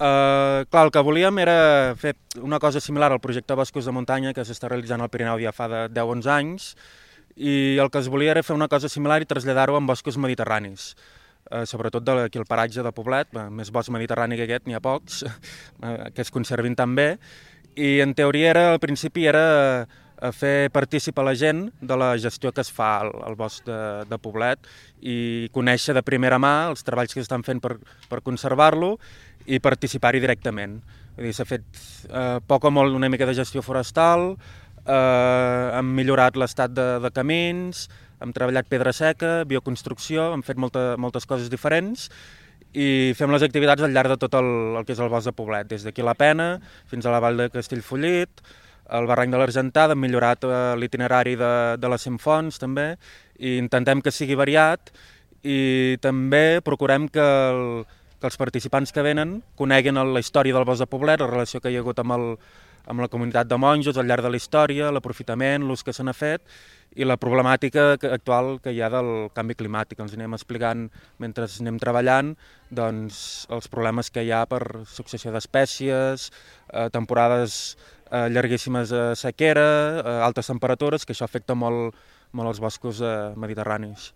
Clar, el que volíem era fer una cosa similar al projecte Boscos de Muntanya que s'està realitzant al Pirineu ja fa de 10-11 anys, i el que es volia era fer una cosa similar i traslladar-ho en boscos mediterranis, sobretot d'aquí al paratge de Poblet. Més bosc mediterrani que aquest n'hi ha pocs, que es conservin tan bé, i en teoria al principi era fer partícip a la gent de la gestió que es fa al bosc de Poblet i conèixer de primera mà els treballs que s'estan fent per conservar-lo i participar-hi directament. Vull dir, s'ha fet poc o molt una mica de gestió forestal, hem millorat l'estat de camins, hem treballat pedra seca, bioconstrucció, hem fet moltes coses diferents i fem les activitats al llarg de tot el que és el bosc de Poblet, des d'aquí la Pena fins a la vall de Castellfollit, el barranc de l'Argentada. Hem millorat l'itinerari de les 100 fonts també, i intentem que sigui variat, i també procurem que els participants que venen coneguin la història del bosc de Poblet, la relació que hi ha hagut amb la comunitat de monjos al llarg de la història, l'aprofitament, l'ús que se n'ha fet i la problemàtica actual que hi ha del canvi climàtic. Ens anem explicant mentre anem treballant doncs, els problemes que hi ha per successió d'espècies, temporades llarguíssimes de sequera, altes temperatures, que això afecta molt els boscos mediterranis.